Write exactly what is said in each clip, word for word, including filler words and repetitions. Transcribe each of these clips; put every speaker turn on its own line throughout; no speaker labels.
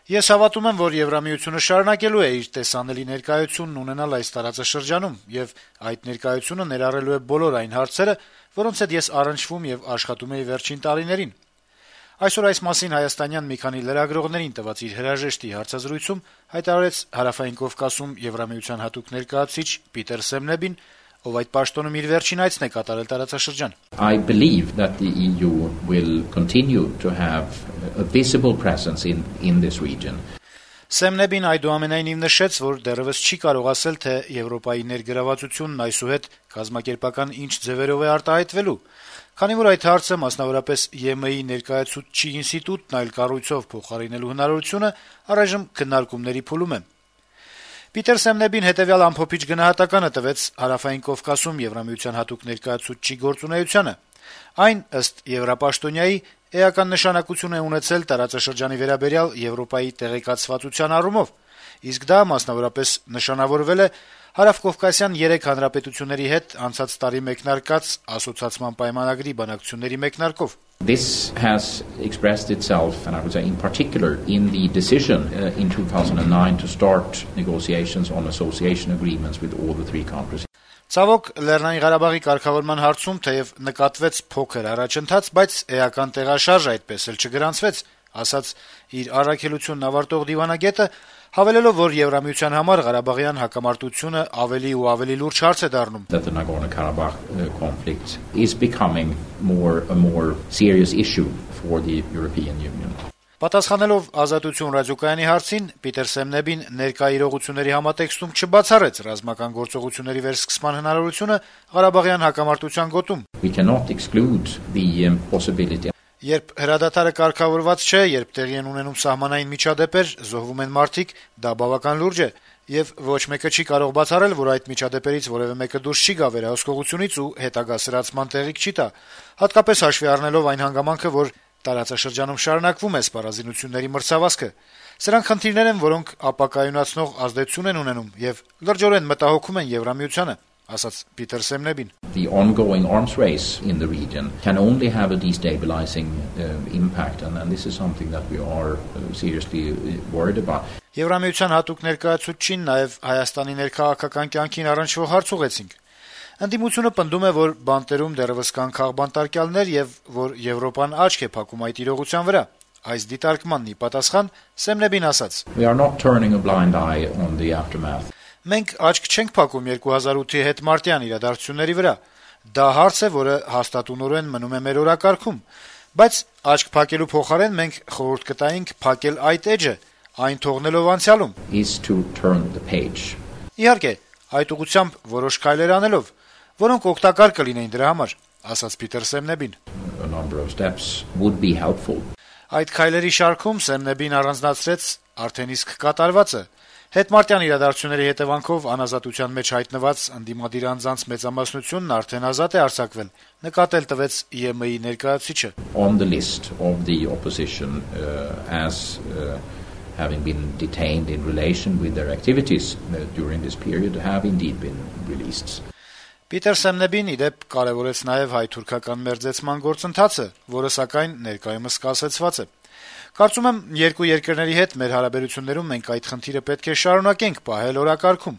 Ես հավատում եմ, որ Եվրամիությունը շարունակելու է իր տեսանելի ներկայությունն ունենալ այս տարածաշրջանում, եւ այդ ներկայությունը ներառելու է բոլոր այն հարցերը, որոնց հետ ես առնչվում եւ աշխատում էի վերջին տարիներին։ Այսօր այս մասին հայաստանյան մի քանի լրագրողներին տված իր հրաժեշտի հարցազրույցում հայտարարեց Հարավային Կովկասում Եվրամիության հատուկ ներկայացուցիչ Պիտեր Սեմնեբին, ով այդ պաշտոնում իր վերջին այցն է կատարել տարածաշրջան.
I believe that the E U will continue to have a visible presence in in this region.
Սեմնեբին այդուամենայնիվ նշեց, որ դեռևս չի կարող ասել, թե Եվրոպայի ներգրավվածությունն այսուհետ կազմակերպական ինչ ձևերով է արտահայտվելու, քանի որ այդ հարցը, մասնավորապես Ե Մ ի ներկայացուցչի ինստիտուտն այլ կառույցով փոխարինելու հնարավորությունը առայժմ քննարկումների փուլում է։ Պիտեր Սեմնեբին հետեւյալ ամփոփիչ գնահատականը տվեց Հարավային Կովկասում Եվրամիության հատուկ ներկայացուցչի գործունեությանը։ Այն, ըստ Եվրապաշտոնյայի, էական նշանակություն է ունեցել տարածաշրջանի վերաբերյալ Եվրոպայի տեղեկացվածության առումով, իսկ դա մասնավորապես նշանավորվել է Հարավկովկասյան երեք հանրապետությունների հետ անցած տարի մեկնարկած ասոցիացման պայմանագրի բանակցությունների մեկնարկով։
This has expressed itself, and I would say in particular, in the decision uh, in two thousand nine to start negotiations on association agreements with all the three countries.
Ցավոք, Լեռնային Ղարաբաղի կարգավորման հարցում թեև նկատվեց փոքր առաջընթաց, բայց էական տեղաշարժ այդպես էլ չգրանցվեց, ասաց իր առաքելությունն ավարտող դիվանագետը, հավելելով, որ Եվրամիության համար Ղարաբաղյան հակամարտությունը ավելի ու ավելի լուրջ հարց է դառնում։
That the Nagorno-Karabakh uh, conflict is becoming more a more serious issue for the European Union.
Պատասխանելով Ազատություն ռադիոկայանի հարցին, Պիտեր Սեմնեբին ներկա իրողությունների համատեքստում չբացառեց ռազմական գործողությունների վերսկսման հնարավորությունը Ղարաբաղյան հակամարտության գոտում։
We cannot exclude the um, possibility.
Երբ հրադադարը կարգավորված չէ, երբ տեղի են ունենում սահմանային միջադեպեր, զոհվում են մարդիկ, դա բավական լուրջ է, եւ ոչ մեկը չի կարող բացառել, որ այդ միջադեպերից որևէ մեկը դուրս չի գա վերահսկողությունից ու հետագա սրացման տեղիք չի տա, հատկապես հաշվի առնելով այն հանգամանքը, որ տարածաշրջանում շարունակվում է սպառազինությունների մրցավազքը։ Սրանք խնդիրներ են, որոնք ապակայունացնող ազդեցություն են ունենում եւ լրջորեն մտահոգում են Եվրամիությանը, ասաց Պիտեր Սեմնեբին։
The ongoing arms race in the region can only have a destabilizing uh, impact, and, and this is something that we are uh, seriously worried about.
Եվրամիության հատուկ ներկայացուցչին նաեւ Հայաստանի ներքաղաքական կյանքին առնչվող հարց ուղեցինք։ Ընդդիմությունը պնդում է, որ բանտերում դեռևս կան քաղբանտարկյալներ եւ որ Եվրոպան աչք է փակում այդ իրողության վրա։ Այս դիտարկմանն ի պատասխան Սեմնեբին ասաց.
We are not turning a blind eye on the aftermath.
Մենք աչք չենք փակում երկու հազար ութի հետմարտյան իրադարձությունների վրա։ Դա հարց է, որը հաստատունորեն մնում է մեր օրակարգում, բայց աչք փակելու փոխարեն մենք խորհուրդ կտայինք փակել այդ էջը, այն թողնելով անցյալում։
Is to turn the page.
Իհարկե, այդ ուղղությամբ որոշ քայլեր անելով, որոնք օգտակար կլինեին դրա համար, ասաց Պիտեր Սեմնեբին։
A number of steps would be helpful.
Այդ քայլերի շարքում Սեմնեբին առանձնացրեց արդեն իսկ կատարվածը։ Հետմարտյան իրադարձությունների հետևանքով անազատության մեջ հայտնված ընդդիմադիր անձանց մեծամասնությունն արդեն ազատ է արձակվել, նկատել տվեց Ե Մ ի ներկայացուցիչը։
On the list of the opposition uh, as uh, having been detained in relation with their activities uh, during this period have indeed been released.
Պիտեր Սեմնեբին իդեպ կարևորեց նաև հայ-թուրքական մերձեցման գործընթացը, որը սակայն ներկայումս կասեցված է։ Կարծում եմ, երկու երկրների հետ մեր հարաբերություններում մենք այդ խնդիրը պետք է շարունակենք պահել օրակարգում։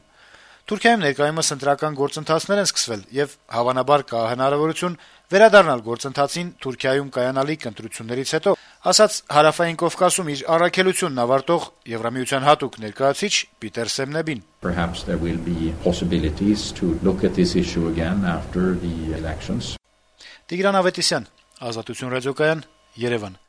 Թուրքիայում ներկայումս ընտրական գործընթացներ են սկսվել եւ հավանաբար կա հնարավորություն վերադառնալ գործընթացին Թուրքիայում կայանալիք ընտրություններից հետո, ասաց Հարավային Կովկասում իր առաքելությունն ավարտող Եվրամիության հատուկ ներկայացուցիչ Պիտեր Սեմնեբին։
Perhaps there will be possibilities to look at this issue again after the elections.
Տիգրան Ավետիսյան, Ազատություն ռադիոկայան, Երևան։